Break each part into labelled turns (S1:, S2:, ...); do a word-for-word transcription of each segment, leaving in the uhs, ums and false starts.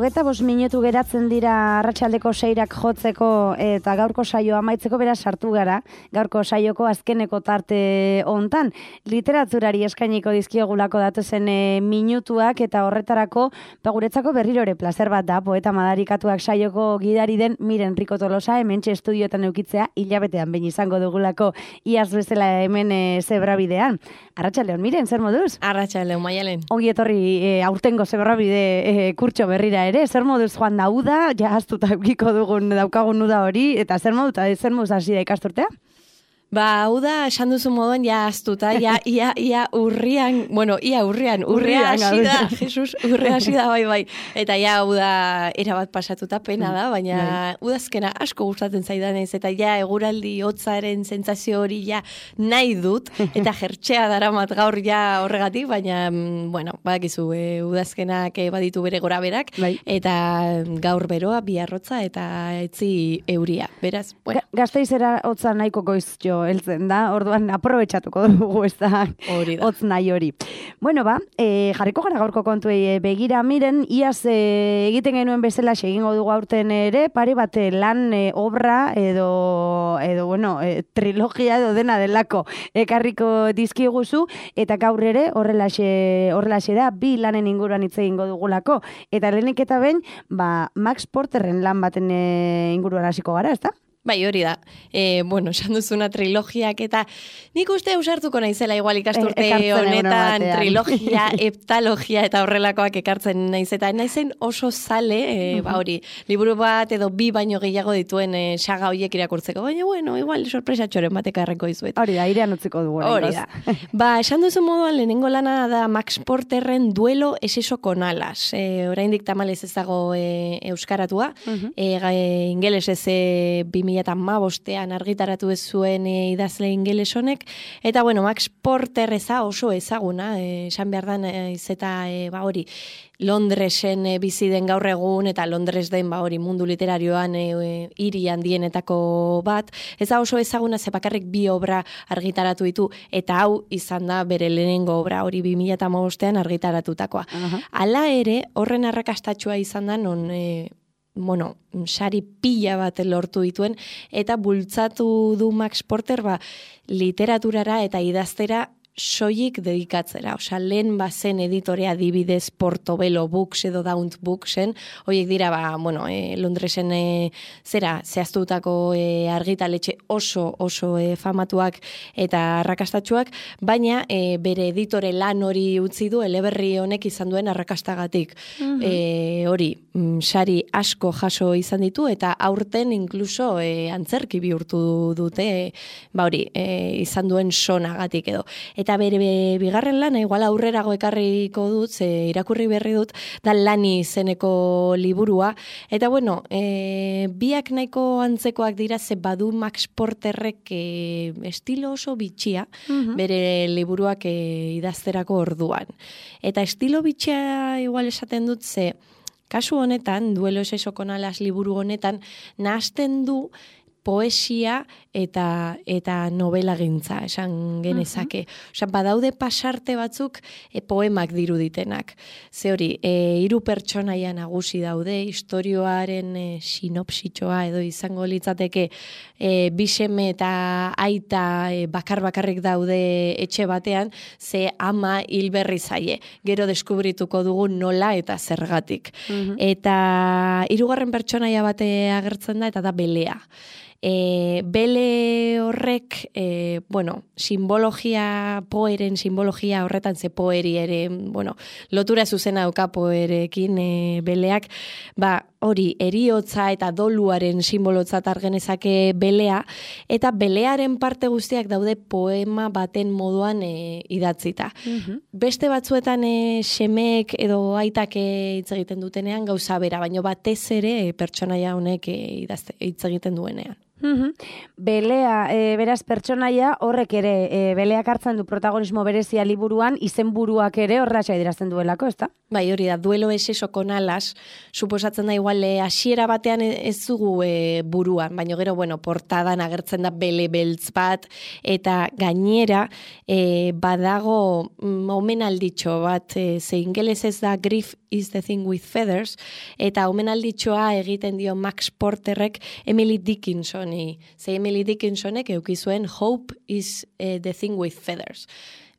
S1: Hogeita bost minutu geratzen dira arratsaldeko seirak jotzeko eta gaurko saioa amaitzeko, beraz sartu gara, gaurko saioko azkeneko tarte hontan. Literaturari eskainiko dizkiogulako datozen e, minutuak eta horretarako ba, guretzako berriro ere plazer bat da, poeta madarikatuak saioko gidari den Miren Rico Tolosa, hementxe estudioetan eukitzea, hilabetean behin izango dugulako iaz bezala hemen e, zebrabidean. Arratsaldeon, Miren, zer moduz?
S2: Arratsaldeon, Maialen.
S1: Ongi etorri e, aurtengo zebrabide e, kurtso berrira ere, zer moduz joan da uda, ja astuta eukiko dugun daukagun uda hori, eta zer moduz, zer moduz hasi da ikasturtea?
S2: Ba, hau da, esan duzu moduan, ja astuta, ja, ia, ia urrian, bueno, ia urrian, urria hasi da, Jesus, urria hasi da, bai, bai, eta ja, hau da, erabat pasatuta pena da, baina udazkena asko gustatzen zaidanez, eta ja, eguraldi hotzaren sentsazio hori ja nahi dut, eta jertxea daramat gaur ja horregatik, baina, bueno, badakizu, e, udazkenak baditu bere gora berak, bai. Eta gaur beroa, biarrotza, eta etzi euria, beraz, bueno.
S1: Ga, Gasteizera hotza nahiko goiz jo, heltzen da, orduan aprobetxatuko dugu ez da hotz nahi hori. Bueno, ba, e, jarriko gara gaurko kontuei begira, Miren, iaz e, egiten genuen bezala egingo dugu aurten ere, pare bat lan e, obra edo, edo bueno, e, trilogia edo dena delako ekarriko dizkiguzu, eta gaur ere horrelaxe, horrelaxe da, bi lanen inguruan hitz egingo dugulako. Eta lehenik eta behin, ba, Max Porterren lan baten e, inguruan hasiko gara, ez da?
S2: Bai, hori da. E, bueno, esan duzuna trilogiak eta nik uste ausartuko naizela igual ikasturte e, honetan trilogia, heptalogia eta horrelakoak ekartzen naiz eta naizen oso zale, e, uh-huh. ba hori, liburu bat edo bi baino gehiago dituen e, saga horiek irakurtzeko, baina bueno, igual sorpresa txoren batek arreko izuet.
S1: Hori da, airean utziko dugu.
S2: Hori da. Ba, esan duzu moduan lehenengo lana da Max Porterren Duelo es eso con alas. E, oraindik tamalez ez dago e, euskaratua, uh-huh. e, e, ingelesez e, bi mila eta hamabostean argitaratu ez zuen e, idazle ingeles honek, eta bueno, Max Porter eza oso ezaguna, esan behar dan ez eta e, ba hori, Londresen e, bizi den gaur egun, eta Londres den ba hori mundu literarioan e, e, hiri handienetako bat, eza oso ezaguna ze bakarrik bi obra argitaratu ditu, eta hau izan da bere lehenengo obra hori bi mila eta hamabostean argitaratutakoa. Uh-huh. Hala ere, horren arrakastatxua izan da non e, bueno, sari pila bat lortu dituen, eta bultzatu du Max Porter ba, literaturara eta idaztera soilik dedikatzera. Osea, lehen bazen editorea adibidez Portobello Books edo Daunt Booksen, horiek dira, ba, bueno, e, Londresen e, zera, zehaztutako e, argitaletxe oso, oso e, famatuak eta arrakastatsuak, baina e, bere editore lan hori utzi du, eleberri honek izan duen arrakastagatik. Uh-huh. E, hori, sari asko jaso izan ditu, eta aurten inkluso e, antzerki bihurtu dute, e, ba hori, e, izan duen sonagatik edo. Eta bere bigarren lana, igual aurrerago ekarriko dut, ze irakurri berri dut, da Lani izeneko liburua. Eta bueno, e, biak nahiko antzekoak dira, ze badu Max Porterrek e, estilo oso bitxia, uh-huh. bere liburuak e, idazterako orduan. Eta estilo bitxia igual esaten dut, ze kasu honetan, Duelo es eso con alas liburu honetan, nahasten du poesia eta eta novela gintza, esan genezake. Uh-huh. Osa, badaude pasarte batzuk e, poemak diruditenak. Ze hori, e, hiru pertsonaia nagusi daude, istorioaren e, sinopsitxoa edo izango litzateke e, biseme eta aita e, bakar-bakarrik daude etxe batean, ze ama hilberri zaie. Gero deskubrituko dugu nola eta zergatik. Uh-huh. Eta hirugarren pertsonaia bate agertzen da, eta da Belea. E, bele horrek, e, bueno, simbologia, poeren simbologia horretan, ze poeri ere, bueno, lotura zuzena dauka poerekin e, beleak, ba, hori, eriotza eta doluaren simbolotzat argenezake belea, eta belearen parte guztiak daude poema baten moduan e, idatzita. Uh-huh. Beste batzuetan e, semeek edo aitak hitz egiten dutenean gauza bera, baina batez ere e, pertsonaia honek e, idazte, hitz egiten duenean.
S1: Mm-hmm. Belea, e, beraz pertsonaia horrek ere, e, Beleak hartzen du protagonismo berezia liburuan, izenburuak ere horratxa idrazten duelako, ezta?
S2: Bai, hori da, Duelo es eso con alas, suposatzen da igual hasiera batean ez dugu e, buruan, baina gero, bueno, portadan agertzen da bele beltz bat, eta gainera e, badago mm, omenalditxo bat, e, ze ingelesez da Griff is the Thing with Feathers, eta omenalditxoa egiten dio Max Porterrek Emily Dickinsoni. Ze Emily Dickinsonek eukizuen Hope is uh, the Thing with Feathers.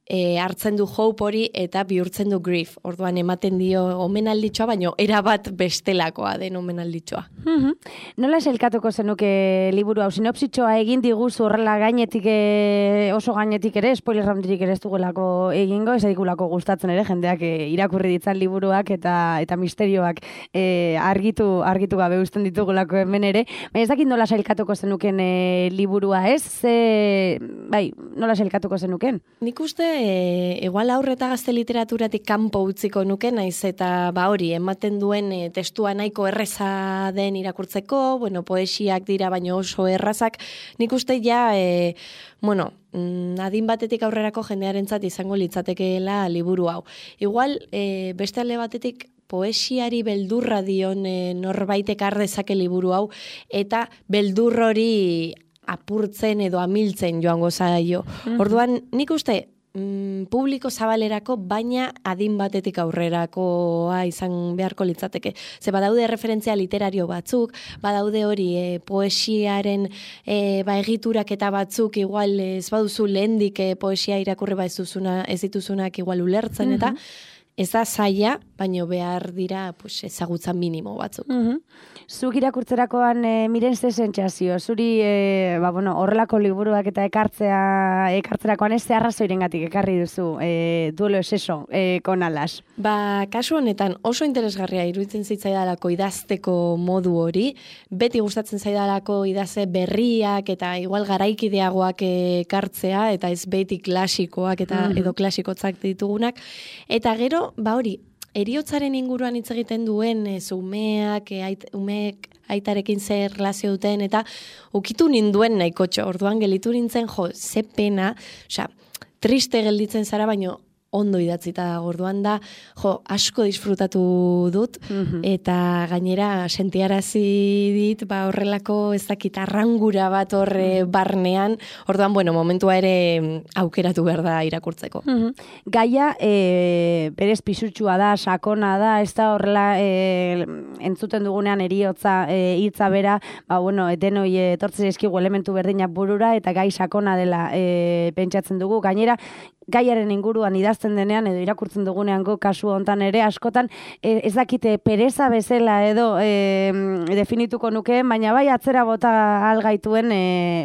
S2: E, hartzen du hope hori eta bihurtzen du grief. Orduan ematen dio omenalditxoa, baino erabat bestelakoa den omenalditxoa.
S1: Mm-hmm. Nola selkatuko zenuke liburu hau? Sinopsitxoa egin diguzu horrela gainetik, e, oso gainetik ere, spoiler roundirik ere ez dugulako egingo, ez edikulako gustatzen ere, jendeak e, irakurri ditzan liburuak eta eta misterioak e, argitu argitu gabe uzten ditugulako hemen ere. Baina ez dakit nola selkatuko zenuken e, liburua, ez? Ze, bai, nola selkatuko zenuken?
S2: Nik uste E, igual aurre eta gazte literaturatik kanpo utziko nuke, naiz eta ba hori, ematen duen e, testua nahiko erreza den irakurtzeko, bueno, poesiak dira baino oso errazak, nik uste ja, e, bueno, adin batetik aurrerako jendearentzat izango litzatekeela liburu hau. Igual, e, beste alde batetik, poesiari beldurra dion e, norbaitek ardezake liburu hau, eta beldur hori apurtzen edo amiltzen joango zaio. Mm-hmm. Orduan, nik uste, publiko zabalerako, baina adin batetik aurrerakoa izan beharko litzateke. Ze badaude referentzia literario batzuk, badaude hori e, poesiaren e, ba, egiturak eta batzuk igual ez baduzu lehendik e, poesia irakurri ba ez, duzuna, ez dituzunak igual ulertzen, eta ez da zaila, baino behar dira pues, ezagutza minimo batzuk.
S1: Mm-hmm. Zuk irakurtzerakoan e, miren ze sentsazio, zuri e, ba, bueno, horrelako liburuak eta ekartzea ekartzerakoan ez ze arrazoirengatik ekarri duzu e, duelo eseso e, con alas?
S2: Ba, kasu honetan oso interesgarria iruditzen zitzaidalako idazteko modu hori, beti gustatzen zaidalako idaze berriak eta igual garaikideagoak ekartzea, eta ez beti klasikoak eta mm-hmm. edo klasikotzak ditugunak, eta gero, ba hori, eriotzaren inguruan hitz egiten duen e, umeak, e, ait, umeek aitarekin zer relazio duten, eta ukitu ninduen nahikotxo, orduan gelitu nintzen, jo, ze pena, osea, triste gelditzen zara, baino ondo idatzita da, orduan da, jo, asko disfrutatu dut, mm-hmm. eta gainera sentiarazi dit, ba horrelako ez dakit arrangura bat horre barnean, orduan, bueno, momentua ere aukeratu behar da irakurtzeko.
S1: Mm-hmm. Gaia, e, berez pisutsua da, sakona da, ez da horrela e, entzuten dugunean eriotza e, hitza bera, ba, bueno, denoi etortzen eskigu elementu berdinak burura, eta gai sakona dela e, pentsatzen dugu, gainera, gaiaren inguruan idazten denean edo irakurtzen dugunean go kasu hontan ere askotan e, ez dakite pereza bezala edo e, definituko nuke, baina bai atzera bota algaituen e,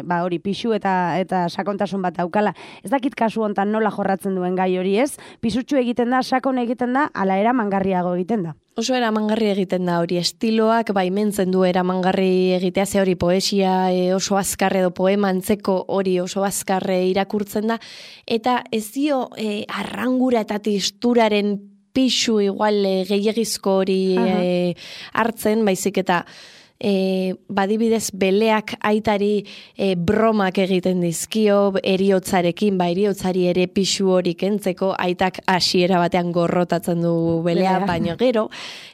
S1: ba hori pixu eta eta sakontasun bat daukala. Ez dakit kasu hontan nola jorratzen duen gai hori, ez? Pisutsu egiten da, sakon egiten da, ala eramangarriago egiten da.
S2: Oso eramangarri egiten da hori, estiloak baimentzen du eramangarri egitea, ze hori poesia e, oso azkar edo poema antzeko hori oso azkar irakurtzen da, eta ez dio e, arrangura eta tisturaren pixu igual e, gehiagizko hori e, hartzen, baizik eta E, badibidez beleak aitari e, bromak egiten dizkio eriotzarekin, ba eriotzari ere pixu hori kentzeko, aitak hasiera batean gorrotatzen du belea, Belea. Baino gero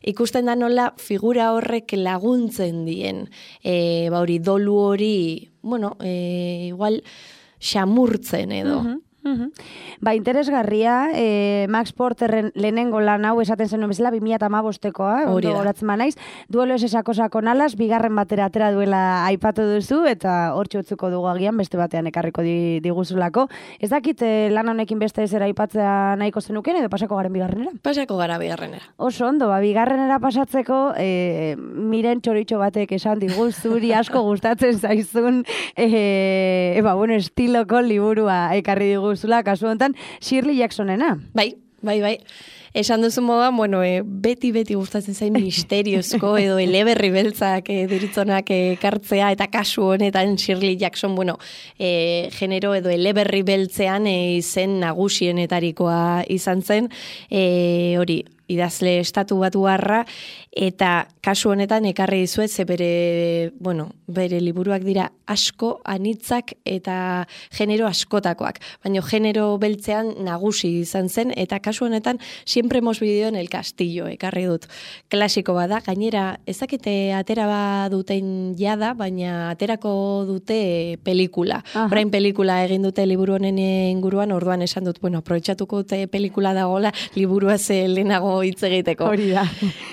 S2: ikusten da nola figura horrek laguntzen dien, e, ba hori dolu hori, bueno, e, igual xamurtzen edo.
S1: Uh-huh. Uhum. Ba, interesgarria, e, Max Porterren lehenengo lan hau esaten zen bezala bi mila hamabostekoa, ondo goratzen manaiz, duelo esesako sakon alas, bigarren batera atera duela aipatu duzu, eta hor txotzuko dugu agian beste batean ekarriko di, diguzulako. Ez dakit e, lan honekin beste ezera aipatzea nahiko zenuken, edo pasako garen bigarrenera?
S2: Pasako gara bigarrenera.
S1: Oso ondo, ba, bigarrenera pasatzeko, e, miren txoritxo batek esan digu, zuri asko gustatzen zaizun, e, e, ba, bueno, estiloko liburua ekarri digu zula, kasu honetan, Shirley Jacksonena.
S2: Bai, bai, bai. Esan duzu modan, bueno, e, beti-beti gustatzen zain misteriozko edo eleberri beltzak e, deritzonak ekartzea, eta kasu honetan Shirley Jackson, bueno, e, genero edo eleberri beltzean e, izen nagusienetarikoa izan zen, e, hori, idazle estatu batuarra, eta kasu honetan ekarri dizuet, ze bere, bueno, bere liburuak dira asko, anitzak eta genero askotakoak. Baina genero beltzean nagusi izan zen, eta kasu honetan siempre hemos vivido en el castillo, ekarri dut. Klasiko bada, gainera ezakite atera baduten jada, baina aterako dute pelikula. Orain pelikula egin dute liburu honen inguruan, orduan esan dut, bueno, aprobetxatuko dute pelikula dagoela, liburua ze lehenago hitz egiteko.
S1: Hori da.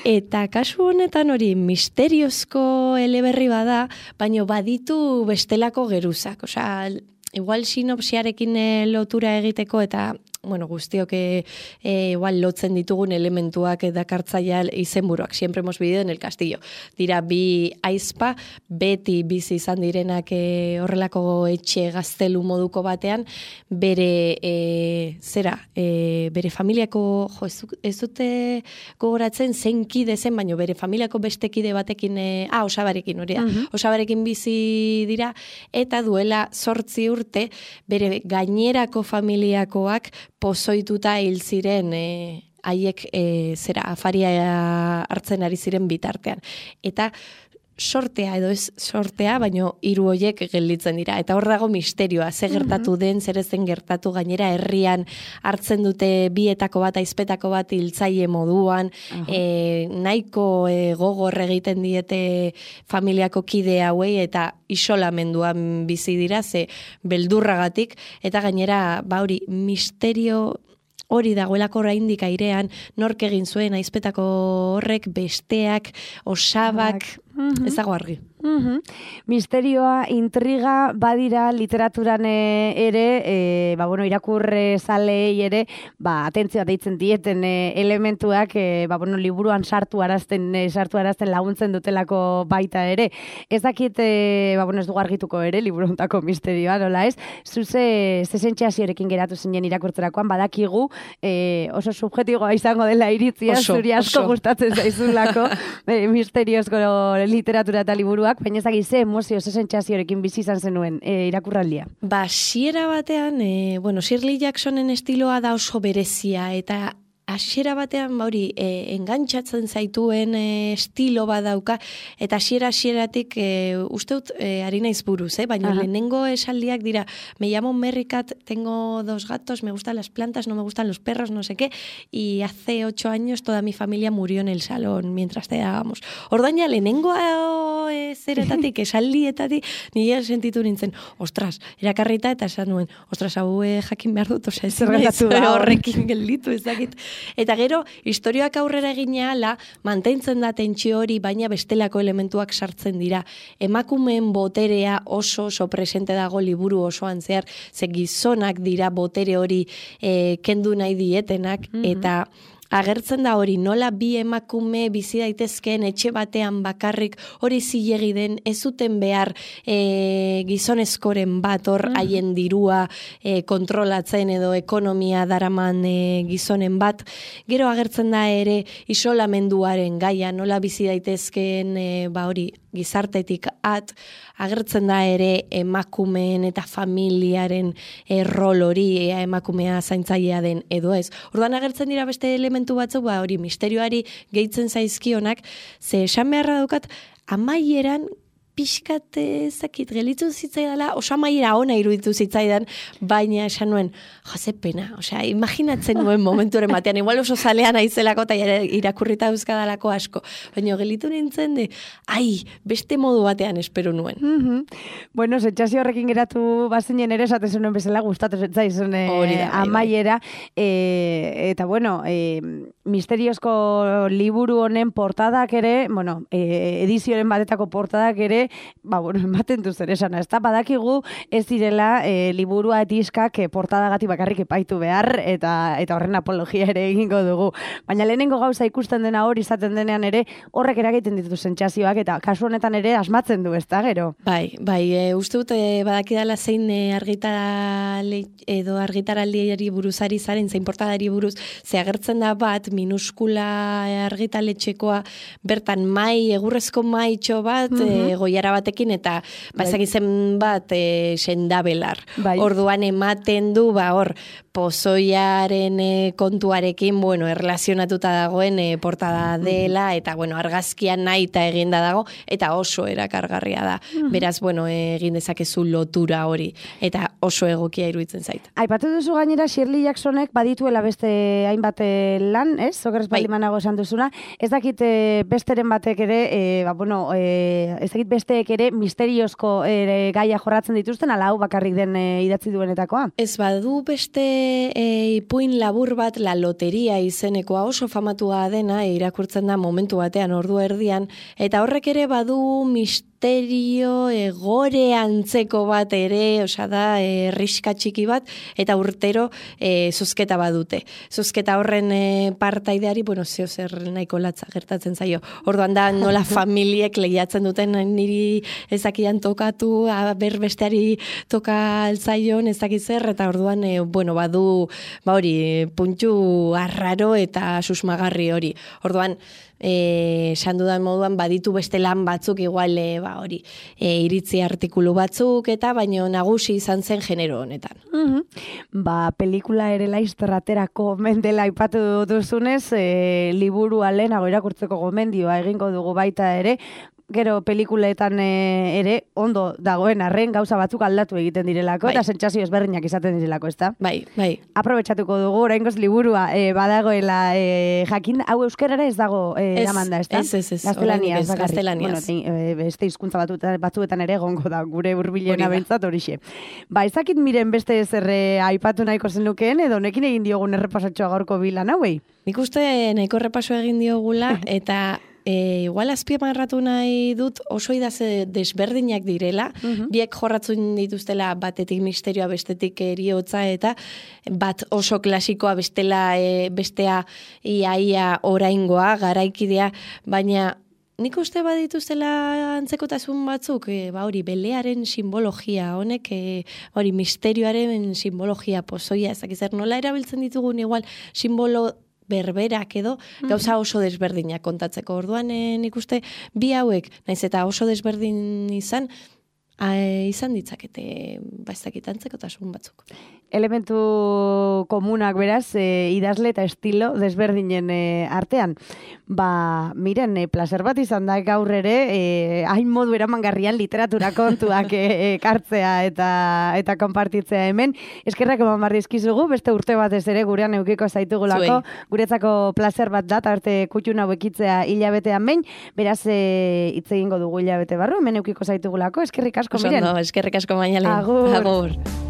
S2: Eta kasu honetan hori misteriozko eleberri bada, baino baditu bestelako geruzak. Osea, igual sinopsiarekin lotura egiteko eta bueno, guztiok e, e, igual lotzen ditugun elementuak dakartzaia izenburuak, siempre hemos vivido en el castillo. Dira, bi aizpa, beti bizi izan direnak e, horrelako etxe gaztelu moduko batean, bere, e, zera, e, bere familiako, jo, ez, ez dute gogoratzen zein kide zen, baino bere familiako beste kide batekin, e, ah, osabarekin, hori da, uh-huh. osabarekin bizi dira, eta duela zortzi urte, bere gainerako familiakoak pozoituta hil ziren e, haiek e, zera afaria hartzen ari ziren bitartean. Eta sortea edo ez sortea, baino hiru hoiek gelditzen dira. Eta hor dago misterioa, ze gertatu den, zer ez den gertatu, gainera herrian hartzen dute bietako bat, aizpetako bat hiltzaile moduan, uh-huh. e, nahiko e, gogor egiten diete familiako kide hauei eta isolamenduan bizi dira, ze beldurragatik, eta gainera, ba hori, misterio hori dagoelako oraindik airean, nork egin zuen aizpetako horrek, besteak, osabak, mm-hmm. ez dago argi.
S1: Mm-hmm. Misterioa, intriga, badira literaturan ere, e, ba, bueno, irakurre zalei ere, ba, atentzioa deitzen dieten e, elementuak, e, ba, bueno, liburuan sartu arazten, e, sartu arazten laguntzen dutelako baita ere. Ez dakit, e, ba, bueno, ez dugu argituko ere, liburuntako misterioa, nola ez? Zuze, zesentxeaziorekin geratu zinen irakurtzerakoan, badakigu, e, oso subjetiboa izango dela iritzia, oso, zuri asko oso. Gustatzen zaizulako, e, misteriozko literatura eta liburuak, baina ezagik ze emozio, ze sentsaziorekin bizi izan zenuen e, irakurraldia.
S2: Ba, hasiera batean, e, bueno, Shirley Jacksonen estiloa da oso berezia, eta hasiera batean, ba hori, e, engantzatzen zaituen e, estilo badauka, eta hasiera hasieratik e, usteut e, ari naiz buruz, eh? Baina Aha. lehenengo esaldiak dira, me llamo Merricat, tengo dos gatos, me gustan las plantas, no me gustan los perros, no sé qué, y hace ocho años toda mi familia murió en el salón mientras cenábamos. Orduan ja, lehenengo e, zeretatik, esaldietatik, nire sentitu nintzen, ostras, erakarrita eta esan nuen, ostras, hau e, jakin behar dut, oza, ez naiz horrekin gelditu, ezakit. Eta gero, historioak aurrera egina ala, mantentzen da tentsio hori, baina bestelako elementuak sartzen dira. Emakumeen boterea oso oso presente dago liburu osoan zehar, ze gizonak dira botere hori e, kendu nahi dietenak, mm-hmm. eta agertzen da hori, nola bi emakume bizi daitezkeen etxe batean bakarrik hori zilegi den, ez zuten behar e, gizonezkoren bat hor haien dirua e, kontrolatzen edo ekonomia daraman e, gizonen bat. Gero agertzen da ere isolamenduaren gaia, nola bizi daitezkeen e, ba hori gizartetik at, agertzen da ere emakumeen eta familiaren e, rol hori, ea emakumea zaintzailea den edo ez. Orduan agertzen dira beste elementu batzuk, ba hori misterioari gehitzen zaizkionak, ze esan beharra daukat, amaieran pixkat ezakit gelitzu zitzaidala, oso amaiera ona iruditu zitzaidan, baina esan nuen, jose pena, osea, imaginatzen nuen momenturen batean, igual oso zalean aizelako eta irakurrita euskadalako asko, baina gelitu nintzen de, ai, beste modu batean espero nuen.
S1: Mm-hmm. Bueno, sentsazio horrekin geratu bazinen ere, esaten zenuen bezala, gustatu zetzaizun eh, amaiera, eh, eta bueno, eh, misteriozko liburu honen portadak ere, bueno, eh, edizioaren batetako portadak ere, ba, bueno, ematen du zer esana, ez da, badakigu ez direla e, liburua etiskak e, portadagatik bakarrik epaitu behar, eta eta horren apologia ere egingo dugu. Baina lehenengo gauza ikusten dena hori izaten denean ere, horrek eragiten ditu sentsazioak, eta kasu honetan ere asmatzen du, ez da, gero?
S2: Bai, bai, e, uste dut, e, badakidala zein e, argitarale, edo argitaraldiari buruzari zaren, zein portadari buruz, ze agertzen da bat, minuskula argitaletxekoa, bertan mai, egurrezko maitxo bat, mm-hmm. e, goiara batekin, eta bazak izen bat e, sendabelar. Bai. Orduan ematen du, ba hor, pozoiaren e, kontuarekin, bueno, erlazionatuta dagoen e, portada dela, eta bueno, argazkian nahi eta eginda dago, eta oso erakargarria da. Mm-hmm. Beraz, bueno, egin dezakezu lotura hori, eta oso egokia iruditzen zait.
S1: Aipatu duzu gainera, Shirley Jacksonek badituela beste hainbat lan, ez? Okerrez baldimanago esan duzuna. Ez dakit e, besteren batek ere, e, ba, bueno, e, ez dakit besteek ere misteriozko ere gaia jorratzen dituzten, ala hau bakarrik den e, idatzi duenetakoa?
S2: Ez badu beste e, ipuin labur bat, La Loteria izenekoa oso famatua dena, e, irakurtzen da momentu batean, ordu erdian, eta horrek ere badu misterio egore antzeko bat ere, osea da, e, riska txiki bat, eta urtero e, zozketa badute. Zozketa horren e, partaideari, bueno, zeo zer nahiko latza gertatzen zaio. Orduan da, nola familiek lehiatzen duten niri ezakian tokatu, berbesteari toka altzaion ezakizer, eta orduan, e, bueno, badu, ba hori, puntxu arraro eta susmagarri hori. Orduan, eh esan dudan moduan baditu beste lan batzuk igual e, ba hori e, iritzi artikulu batzuk eta baino nagusi izan zen genero honetan.
S1: Mm-hmm. Ba, pelikula ere laizter aterako mendela aipatu duzunez, e, liburua lehenago irakurtzeko gomendioa egingo dugu baita ere. Gero pelikuletan e, ere ondo dagoen arren gauza batzuk aldatu egiten direlako, bai. Eta sentsazio ezberdinak izaten direlako, ezta?
S2: Bai, bai.
S1: Aprobetxatuko dugu, oraingoz liburua e, badagoela e, jakin, hau euskerara ez dago e, eramanda, ezta?
S2: Ez, ez, ez.
S1: Gaztelaniaz,
S2: gaztelaniaz.
S1: Bueno, e, beste hizkuntza batzuetan ere egongo da, gure hurbilena behintzat horixe. Ba, ezakit miren beste zerre aipatu nahiko zenukeen, edo nekin egin diogun errepasatxoa gaurko bilan hauei?
S2: Nik uste nahiko errepaso egin diogula, eta E, igual azpiamarratu nahi dut oso idaze desberdinak direla, uh-huh. biek jorratzen dituztela batetik misterioa, bestetik eriotza, eta bat oso klasikoa bestela, e, bestea iaia oraingoa, garaikidea, baina nik uste badituztela antzekotasun batzuk, e, ba hori, belearen simbologia, honek, e, hori, misterioaren simbologia pozoia, ezakizer, nola erabiltzen ditugun igual simbolo berberak edo, gauza oso desberdinak kontatzeko. Orduan, e, nik uste, bi hauek, naiz eta oso desberdin izan, a, izan ditzakete, ba ez dakitantzekotasun batzuk.
S1: Elementu komunak beraz, e, idazle eta estilo desberdinen e, artean. Ba, miren, e, placer bat izan da gaur ere, e, hain modu eramangarrian literatura kontuak e, ekartzea eta eta konpartitzea hemen. Eskerrak eman barrizkizugu, beste urte batez ere gurean eukiko zaitugulako, guretzako placer bat da, arte kutxun hau ekitzea hilabetean behin, beraz e, hitz egingo dugu hilabete barru, hemen eukiko zaitugulako, eskerrik asko, miren.
S2: Oso ondo, eskerrik asko Mañalen.
S1: Agur.
S2: Agur.